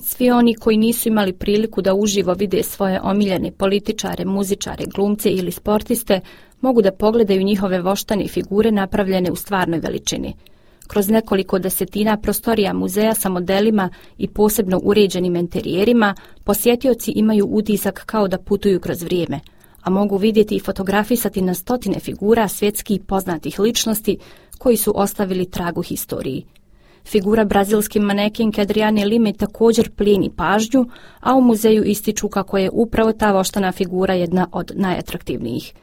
Svi oni koji nisu imali priliku da uživo vide svoje omiljene političare, muzičare, glumce ili sportiste, mogu da pogledaju njihove voštane figure napravljene u stvarnoj veličini. Kroz nekoliko desetina prostorija muzeja sa modelima i posebno uređenim interijerima, posjetioci imaju utisak kao da putuju kroz vrijeme, a mogu vidjeti i fotografisati na stotine figura svjetskih poznatih ličnosti koji su ostavili trag u historiji. Figura brazilske manekenke Adriane Lime također plijeni pažnju, a u muzeju ističu kako je upravo ta voštana figura jedna od najatraktivnijih.